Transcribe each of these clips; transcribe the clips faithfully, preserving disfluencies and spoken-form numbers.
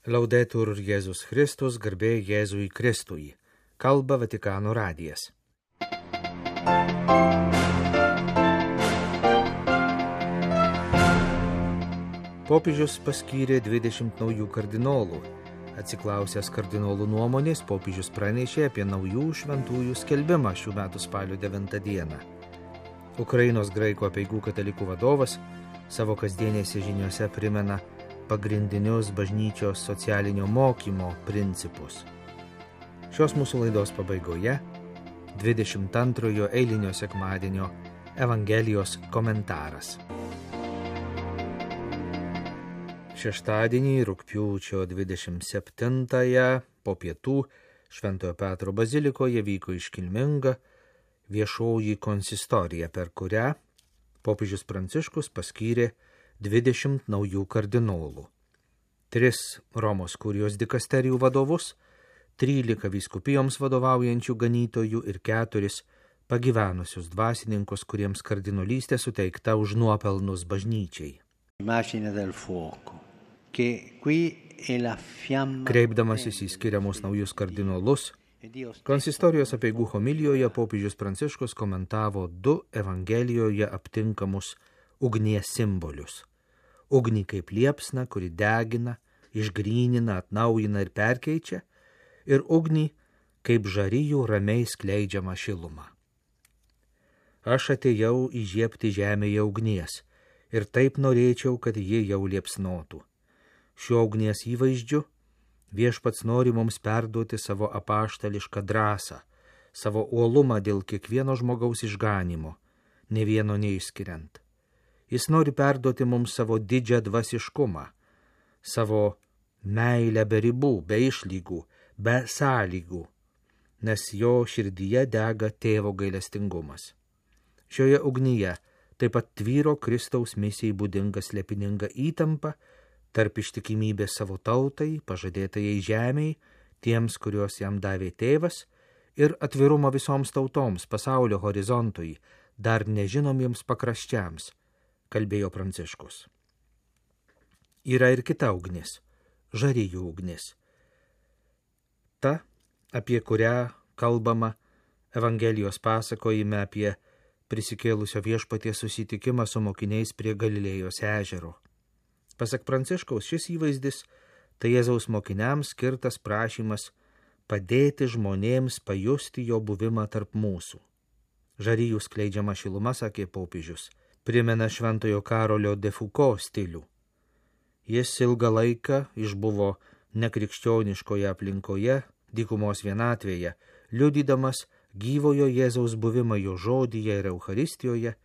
Laudetur Jėzus Kristus, garbė Jėzui Kristui. Kalba Vatikano radijas. Popiežius paskyrė dvidešimt naujų kardinolų. Atsiklausęs kardinolų nuomonės, popiežius pranešė apie naujų šventųjų skelbimą šių metų spalio devintą dieną. Ukrainos graikų apeigų katalikų vadovas savo kasdienėse žiniose primena pagrindinius bažnyčios socialinio mokymo principus. Šios mūsų laidos pabaigoje dvidešimt antrojo eilinio sekmadienio Evangelijos komentaras. Šeštadienį, rugpjūčio dvidešimt septintąją, po pietų Šventojo Petro bazilikoje vyko iškilminga viešoji konsistorija, per kurią popiežius Pranciškus paskyrė dvidešimt naujų kardinolų. Tris Romos kurijos dikasterijų vadovus, trylika vyskupijoms vadovaujančių ganytojų ir keturis pagyvenusius dvasininkus, kuriems kardinolystė suteikta už nuopelnus bažnyčiai. Kreipdamasis į skiriamus naujus kardinolus, konsistorijos apeigų homilijoje popiežius Pranciškus komentavo du Evangelijoje aptinkamus ugnies simbolius. Ugnį kaip liepsną, kuri degina, išgrynina, atnaujina ir perkeičia, ir ugnį kaip žarijų ramiai skleidžiamą šilumą. Aš atėjau įžiebti žemėje ugnies ir taip norėčiau, kad ji jau liepsnotų. Šiuo ugnies įvaizdžiu Viešpats nori mums perduoti savo apaštališką drąsą, savo uolumą dėl kiekvieno žmogaus išganimo, ne vieno neišskiriant. Jis nori perduoti mums savo didžią dvasiškumą, savo meilę be ribų, be išlygų, be sąlygų, nes jo širdyje dega tėvo gailestingumas. Šioje ugnyje taip pat tvyro Kristaus misijai būdinga slėpininga įtampa tarp ištikimybės savo tautai, pažadėtajai žemei, tiems, kuriuos jam davė tėvas, ir atvirumo visoms tautoms, pasaulio horizontui, dar nežinomiems pakraščiams, kalbėjo Pranciškus. Yra ir kita ugnis, žarijų ugnis. Ta, apie kurią kalbama Evangelijos pasakojime apie prisikėlusio Viešpaties susitikimą su mokiniais prie Galilėjos ežero. Pasak Pranciškaus, šis įvaizdis tai Jėzaus mokiniams skirtas prašymas padėti žmonėms pajusti jo buvimą tarp mūsų. Žarijų skleidžiama šiluma, sakė popiežius, primena šventojo Karolio de Foucault stilių. Jis ilgą laiką išbuvo nekrikščioniškoje aplinkoje, dykumos vienatvėje, liudydamas gyvojo Jėzaus buvimą jo žodyje ir Eucharistijoje,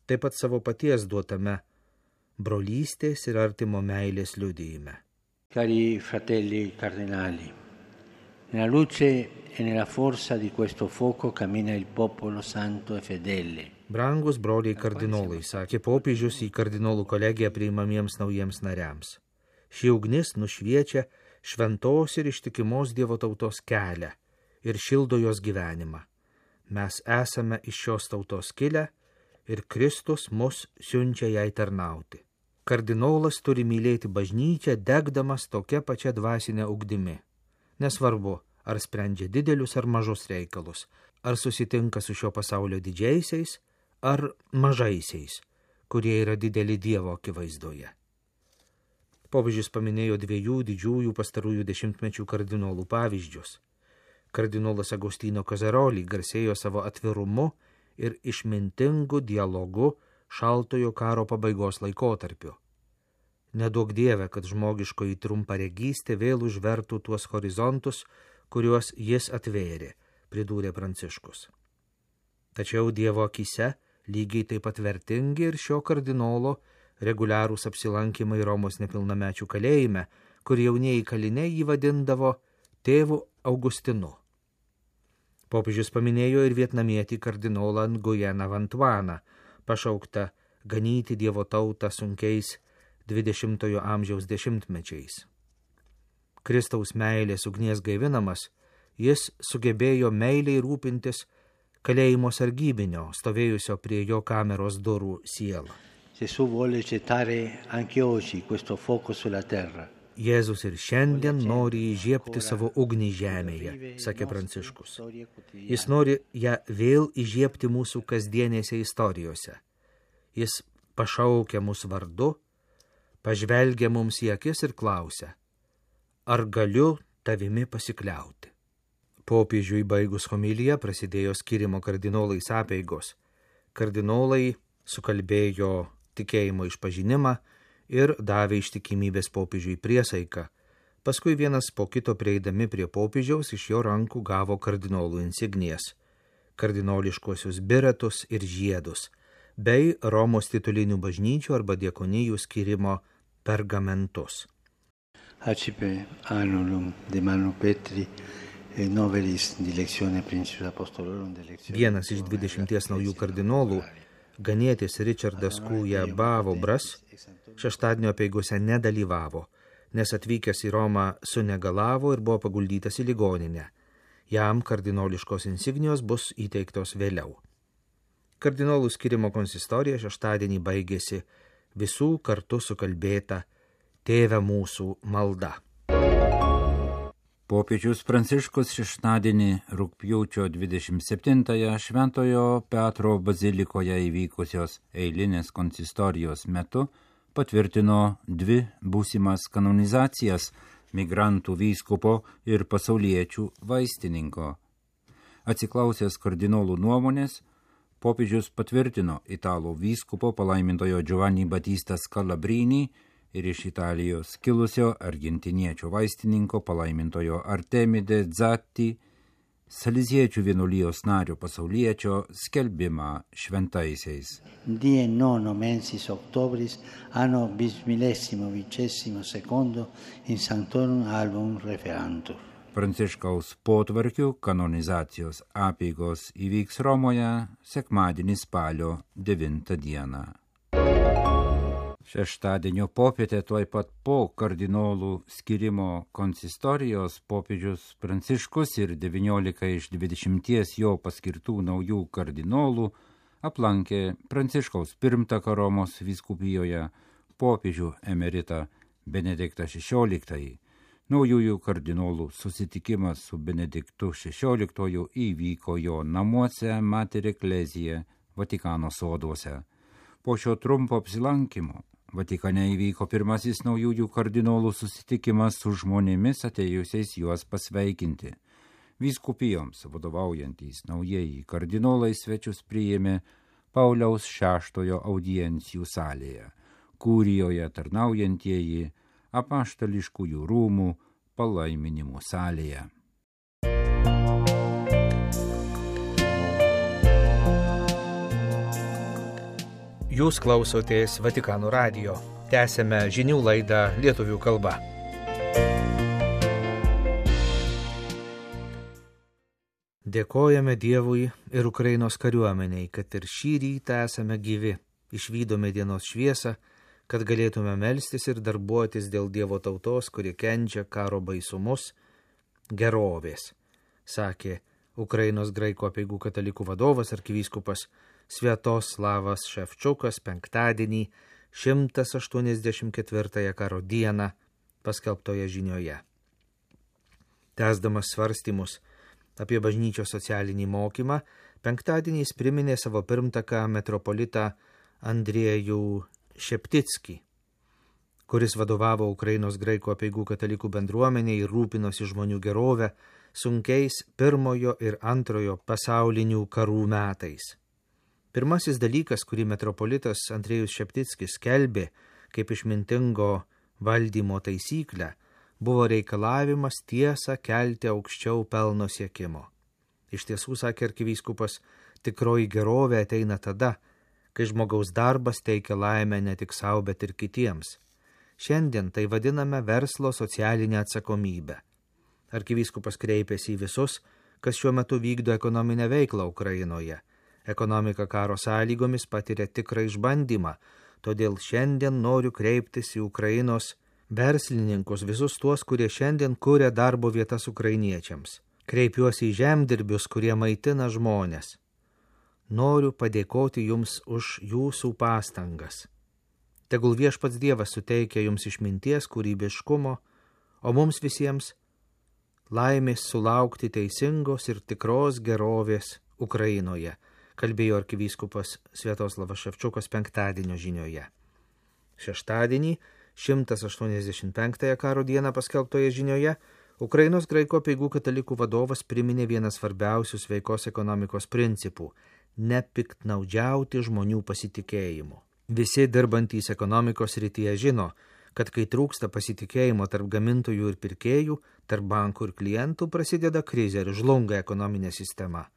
taip pat savo paties duotame brolystės ir artimo meilės liudijime. Cari fratelli cardinali, nella luce e nella forza di questo fuoco cammina il popolo santo e fedele. Brangus broliai kardinolai, sakė popiežius į kardinolų kolegiją priimamiems naujiems nariams. Ši ugnis nušviečia šventos ir ištikimos Dievo tautos kelią ir šildo jos gyvenimą. Mes esame iš šios tautos kilę ir Kristus mus siunčia jai tarnauti. Kardinolas turi mylėti bažnyčią, degdamas tokia pačia dvasinė ugdimi. Nesvarbu, ar sprendžia didelius ar mažus reikalus, ar susitinka su šio pasaulio didžiaisiais, ar mažaisiais, kurie yra dideli Dievo akivaizdoje. Popiežius paminėjo dviejų didžiųjų pastarųjų dešimtmečių kardinolų pavyzdžius. Kardinolas Agostino Kazaroli garsėjo savo atvirumu ir išmintingu dialogu šaltojo karo pabaigos laikotarpiu. Neduok Dieve, kad žmogiškoji trumparegystė vėl užvertų tuos horizontus, kuriuos jis atvėrė, pridūrė Pranciškus. Tačiau Dievo akyse lygiai taip pat vertingi ir šio kardinolo reguliarūs apsilankymai Romos nepilnamečių kalėjime, kur jaunieji kaliniai jį vadindavo tėvu Augustinu. Popiežius paminėjo ir vietnamietį kardinolą Nguyeną Vantuaną, pašauktą ganyti Dievo tautą sunkiais dvidešimtojo amžiaus dešimtmečiais. Kristaus meilės ugnies gaivinamas, jis sugebėjo meiliai rūpintis kalėjimo sargybinio, stovėjusio prie jo kameros durų sielą. Gesù vuole gettare anche oggi questo fuoco sulla terra. Jėzus ir šiandien nori įžiebti savo ugnį žemėje, sakė Pranciškus. Jis nori ją vėl įžiebti mūsų kasdienėse istorijose. Jis pašaukia mus vardu, pažvelgia mums į akis ir klausia, ar galiu tavimi pasikliauti. Popiežiui baigus homiliją prasidėjo skyrimo kardinolais apeigos. Kardinolai sukalbėjo tikėjimo išpažinimą ir davė ištikimybės popiežiui priesaiką. Paskui vienas po kito prieidami prie popiežiaus iš jo rankų gavo kardinolų insignijas, kardinoliškuosius biretus ir žiedus, bei Romos titulinių bažnyčių arba diakonijų skyrimo pergamentus. Acipe annulum de Manu Petri e novelis dilectione principis apostolorum dilectione. Vienas iš dvidešimties naujų kardinolų, ganietis Richardas Kūja Bavobras, šeštadienio apeigose nedalyvavo, nes atvykęs į Romą sunegalavo ir buvo paguldytas į ligoninę. Jam kardinoliškos insignijos bus įteiktos vėliau. Kardinolų skyrimo konsistorija šeštadienį baigėsi visų kartu sukalbėta Tėve mūsų malda. Popiežius Pranciškus šeštadienį rugpjūčio dvidešimt septintąją Šventojo Petro bazilikoje įvykusios eilinės konsistorijos metu patvirtino dvi būsimas kanonizacijas migrantų vyskupo ir pasauliečių vaistininko. Atsiklausęs kardinolų nuomonės, popiežius patvirtino italų vyskupo palaimintojo Giovanni Battista Scalabrini ir iš Italijos kilusio argentiniečio vaistininko palaimintojo Artemide Zatti, Saleziečių vienuolijos nario pasauliečio skelbimą šventaisiais. Die nono mensis octobris anno bismillesimo vicesimo secondo in Sanctorum Album Referantur. Pranciškaus potvarkių kanonizacijos apeigos įvyks Romoje sekmadienį spalio devintą dieną. Šeštadienio popietę tuoj pat po kardinolų skyrimo konsistorijos popiežius Pranciškus ir devyniolika iš dvidešimties jo paskirtų naujų kardinolų aplankė Pranciškaus pirmtaką Romos vyskupijoje popiežių emeritą Benediktą šešioliktąjį. Naujųjų kardinolų susitikimas su Benediktu šešioliktuoju įvyko jo namuose Mater Ecclesiae Vatikano soduose. Po šio trumpo apsilankimo Vatikane įvyko pirmasis naujųjų kardinolų susitikimas su žmonėmis atėjusiais juos pasveikinti. Vyskupijoms vadovaujantys naujieji kardinolai svečius priėmė Pauliaus šeštojo audiencijų salėje, kurijoje tarnaujantieji apaštališkųjų rūmų palaiminimų salėje. Jūs klausotės Vatikano radijo. Tęsėme žinių laidą lietuvių kalba. Dėkojame Dievui ir Ukrainos kariuomeniai, kad ir šį rytą esame gyvi, išvydome dienos šviesą, kad galėtume melstis ir darbuotis dėl Dievo tautos, kuri kenčia karo baisumus, gerovės, sakė Ukrainos graikų apeigų katalikų vadovas arkivyskupas Sviatoslavas Ševčiukas penktadienį šimtas aštuoniasdešimt ketvirtąją karo dieną paskelbtoje žinioje. Tęsdamas svarstymus apie bažnyčios socialinį mokymą, penktadienį jis priminė savo pirmtaką metropolitą Andriejų Šeptickį, kuris vadovavo Ukrainos graikų apeigų katalikų bendruomeniai ir rūpinosi žmonių gerovę sunkiais pirmojo ir antrojo pasaulinių karų metais. Pirmasis dalykas, kurį metropolitas Andriejus Šeptickis skelbė kaip išmintingo valdymo taisyklę, buvo reikalavimas tiesą kelti aukščiau pelno siekimo. Iš tiesų, sakė arkivyskupas, tikroji gerovė ateina tada, kai žmogaus darbas teikia laimę ne tik sau, bet ir kitiems. Šiandien tai vadiname verslo socialinę atsakomybę. Arkivyskupas kreipėsi į visus, kas šiuo metu vykdo ekonominę veiklą Ukrainoje. Ekonomika karo sąlygomis patiria tikrą išbandymą, todėl šiandien noriu kreiptis į Ukrainos verslininkus, visus tuos, kurie šiandien kuria darbo vietas ukrainiečiams. Kreipiuosi į žemdirbius, kurie maitina žmonės. Noriu padėkoti jums už jūsų pastangas. Tegul viešpats Dievas suteikia jums išminties, kūrybiškumo o mums visiems laimės sulaukti teisingos ir tikros gerovės Ukrainoje, kalbėjo arkivyskupas Sviatoslavas Ševčiukas penktadienio žinioje. Šeštadienį, šimtas aštuoniasdešimt penktąją karo dieną paskelbtoje žinioje, Ukrainos graikų apeigų katalikų vadovas priminė vieną svarbiausių sveikos ekonomikos principų – nepiktnaudžiauti žmonių pasitikėjimu. Visi dirbantys ekonomikos srityje žino, kad kai trūksta pasitikėjimo tarp gamintojų ir pirkėjų, tarp bankų ir klientų, prasideda krizė ir žlunga ekonominė sistema.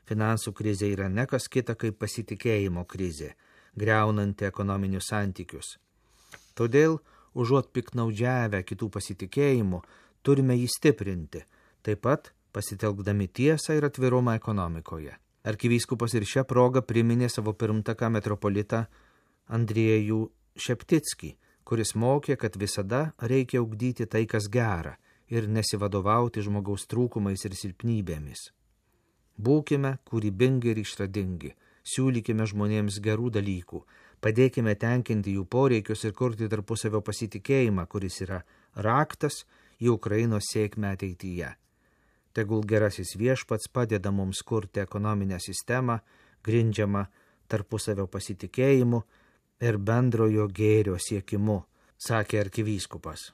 Finansų krizė yra ne kas kita kaip pasitikėjimo krizė, griaunanti ekonominius santykius. Todėl, užuot piktnaudžiavę kitų pasitikėjimu, turime jį stiprinti, taip pat pasitelkdami tiesą ir atvirumą ekonomikoje. Arkivyskupas ir šią progą priminė savo pirmtaką metropolitą Andriejų Šeptickį, kuris mokė, kad visada reikia ugdyti tai, kas gera, ir nesivadovauti žmogaus trūkumais ir silpnybėmis. Būkime kūrybingi ir išradingi, siūlykime žmonėms gerų dalykų, padėkime tenkinti jų poreikius ir kurti tarpusavio pasitikėjimą, kuris yra raktas į Ukrainos sėkmę ateityje. Tegul gerasis viešpats padeda mums kurti ekonominę sistemą, grindžiamą tarpusavio pasitikėjimu ir bendrojo gėrio siekimu, sakė arkivyskupas.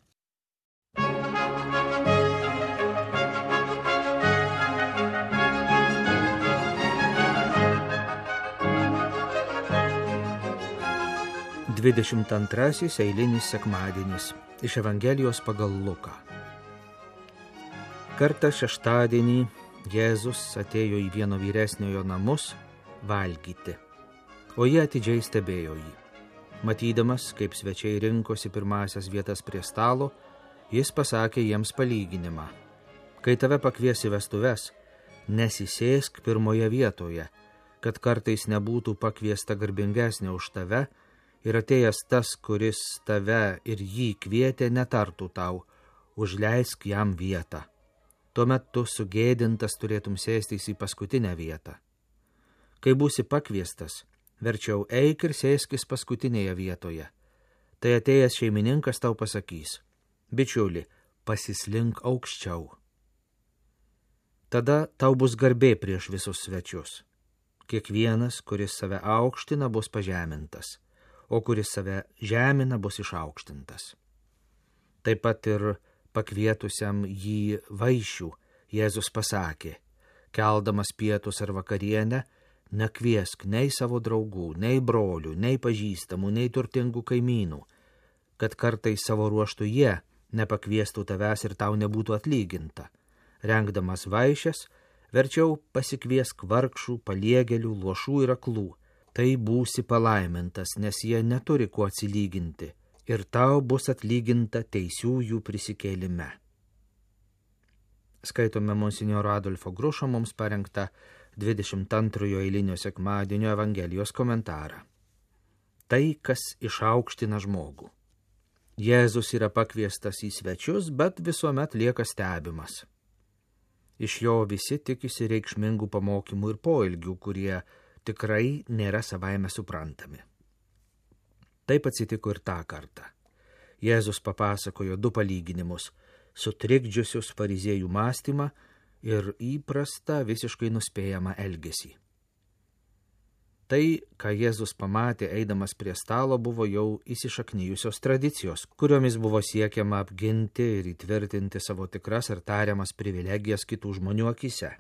dvidešimt antrasis eilinis sekmadienis iš Evangelijos pagal Luką. Kartą šeštadienį Jėzus atėjo į vieno vyresniojo namus valgyti, o jie atidžiai stebėjo jį. Matydamas, kaip svečiai rinkosi pirmasias vietas prie stalo, jis pasakė jiems palyginimą. Kai tave pakvies į vestuves, nesisėsk pirmoje vietoje, kad kartais nebūtų pakviesta garbingesnė už tave, ir atėjęs tas, kuris tave ir jį kvietė, netartų tau, užleisk jam vietą. Tuomet tu sugėdintas turėtum sėstis į paskutinę vietą. Kai būsi pakviestas, verčiau eik ir sėskis paskutinėje vietoje. Tai atėjęs šeimininkas tau pasakys: bičiuli, pasislink aukščiau. Tada tau bus garbė prieš visus svečius. Kiekvienas, kuris save aukština, bus pažemintas, o kuris save žemina, bus išaukštintas. Taip pat ir pakvietusiam jį vaišių Jėzus pasakė: keldamas pietus ar vakarienę, nekviesk nei savo draugų, nei brolių, nei pažįstamų, nei turtingų kaimynų, kad kartais savo ruoštų jie nepakviestų tavęs ir tau nebūtų atlyginta. Rengdamas vaišes, verčiau pasikviesk vargšų, paliegėlių, luošų ir aklų. Tai būsi palaimintas, nes jie neturi kuo atsilyginti, ir tau bus atlyginta teisiųjų prisikėlime. Skaitome monsinjoro Adolfo Grušo mums parengtą dvidešimt antrojo eilinio sekmadienio Evangelijos komentarą. Tai, kas išaukština žmogų. Jėzus yra pakviestas į svečius, bet visuomet lieka stebimas. Iš jo visi tikisi reikšmingų pamokymų ir poelgių, kurie tikrai nėra savaime suprantami. Taip atsitiko ir tą kartą. Jėzus papasakojo du palyginimus, sutrikdžiusius fariziejų mąstymą ir įprastą visiškai nuspėjamą elgesį. Tai, ką Jėzus pamatė eidamas prie stalo, buvo jau įsišaknijusios tradicijos, kuriomis buvo siekiama apginti ir įtvirtinti savo tikras ar tariamas privilegijas kitų žmonių akise.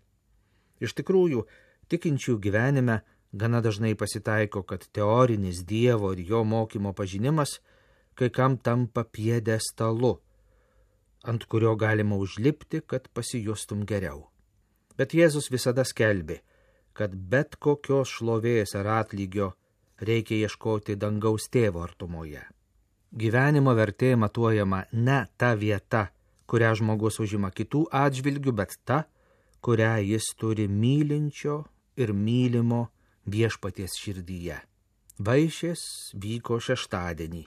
Iš tikrųjų, tikinčių gyvenime gana dažnai pasitaiko, kad teorinis Dievo ir jo mokymo pažinimas kai kam tampa pjedestalu, ant kurio galima užlipti, kad pasijustum geriau. Bet Jėzus visada skelbė, kad bet kokios šlovės ar atlygio reikia ieškoti dangaus tėvo artumoje. Gyvenimo vertė matuojama ne ta vieta, kurią žmogus užima kitų atžvilgių, bet ta, kurią jis turi mylinčio ir mylimo viešpaties širdyje. Vaišės vyko šeštadienį,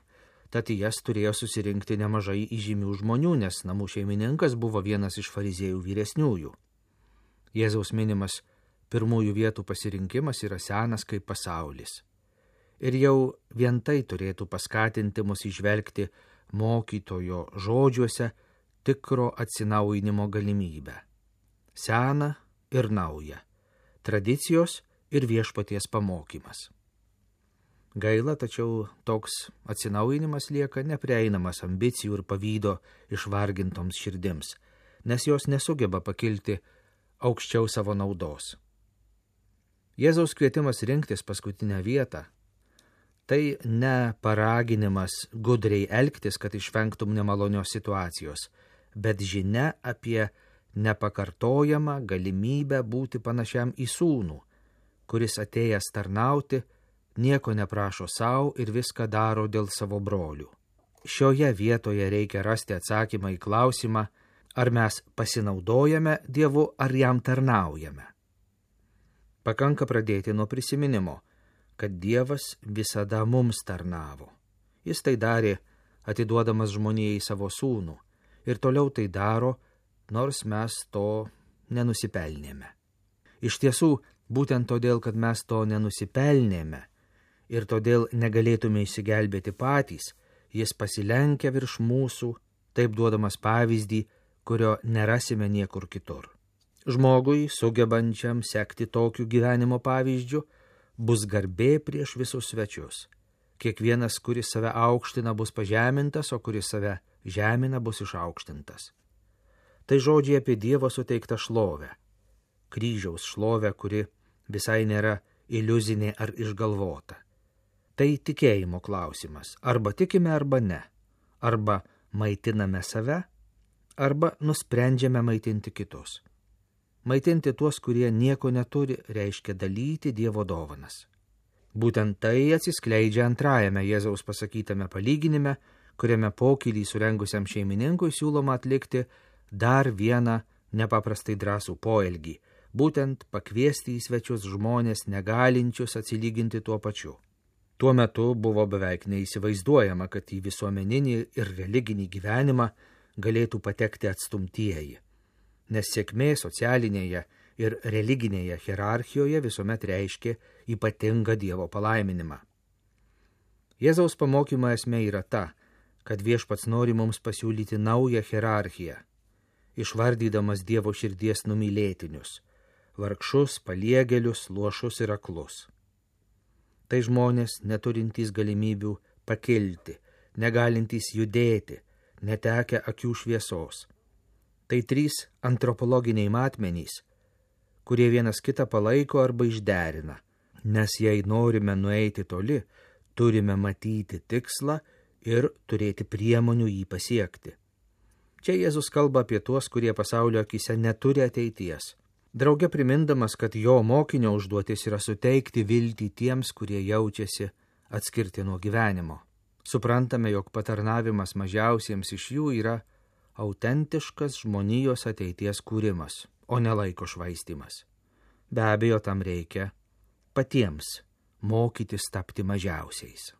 tad į jas turėjo susirinkti nemažai įžymių žmonių, nes namų šeimininkas buvo vienas iš fariziejų vyresniųjų. Jėzaus minimas pirmųjų vietų pasirinkimas yra senas kaip pasaulis. Ir jau vien tai turėtų paskatinti mus įžvelgti mokytojo žodžiuose tikro atsinaujinimo galimybę. Sena ir nauja. Tradicijos ir viešpaties pamokymas. Gaila, tačiau toks atsinaujinimas lieka neprieinamas ambicijų ir pavydo išvargintoms širdims, nes jos nesugeba pakilti aukščiau savo naudos. Jėzaus kvietimas rinktis paskutinę vietą – tai ne paraginimas gudriai elgtis, kad išvengtum nemalonios situacijos, bet žinia apie nepakartojamą galimybę būti panašiam į sūnų, kuris atėjęs tarnauti, nieko neprašo savo ir viską daro dėl savo brolių. Šioje vietoje reikia rasti atsakymą į klausimą, ar mes pasinaudojame Dievu, ar jam tarnaujame. Pakanka pradėti nuo prisiminimo, kad Dievas visada mums tarnavo. Jis tai darė, atiduodamas žmonijai savo sūnų, ir toliau tai daro, nors mes to nenusipelnėme. Iš tiesų, būtent todėl, kad mes to nenusipelnėme ir todėl negalėtume išsigelbėti patys, jis pasilenkia virš mūsų, taip duodamas pavyzdį, kurio nerasime niekur kitur. Žmogui, sugebančiam sekti tokiu gyvenimo pavyzdžiu, bus garbė prieš visus svečius. Kiekvienas, kuris save aukština, bus pažemintas, o kuris save žemina, bus išaukštintas. Tai žodžiai apie Dievo suteiktą šlovę. Kryžiaus šlovę, kuri visai nėra iliuzinė ar išgalvota. Tai tikėjimo klausimas. Arba tikime, arba ne. Arba maitiname save, arba nusprendžiame maitinti kitus. Maitinti tuos, kurie nieko neturi, reiškia dalyti Dievo dovanas. Būtent tai atsiskleidžia antrajame Jėzaus pasakytame palyginime, kuriame pokylį surengusiam šeimininkui siūloma atlikti dar vieną nepaprastai drąsų poelgį, būtent pakviesti į svečius žmonės negalinčius atsilyginti tuo pačiu. Tuo metu buvo beveik neįsivaizduojama, kad į visuomeninį ir religinį gyvenimą galėtų patekti atstumtieji, nes sėkmė socialinėje ir religinėje hierarchijoje visuomet reiškia ypatingą Dievo palaiminimą. Jėzaus pamokymo esmė yra ta, kad Viešpats nori mums pasiūlyti naują hierarchiją, išvardydamas Dievo širdies numylėtinius, vargšus, paliegėlius, luošus ir aklus. Tai žmonės neturintys galimybių pakilti, negalintys judėti, netekę akių šviesos. Tai trys antropologiniai matmenys, kurie vienas kitą palaiko arba išderina, nes jei norime nueiti toli, turime matyti tikslą ir turėti priemonių jį pasiekti. Čia Jėzus kalba apie tuos, kurie pasaulio akise neturi ateities. Drauge primindamas, kad jo mokinio užduotis yra suteikti viltį tiems, kurie jaučiasi atskirti nuo gyvenimo. Suprantame, jog patarnavimas mažiausiems iš jų yra autentiškas žmonijos ateities kūrimas, o ne laiko švaistymas. Be abejo, tam reikia patiems mokytis tapti mažiausiais.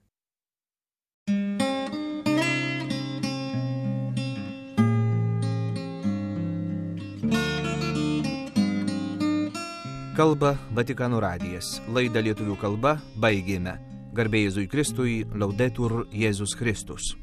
Kalba Vatikano radijas. Laidą lietuvių kalba baigėme. Garbė Jėzui Kristui, Laudetur Jėzus Kristus.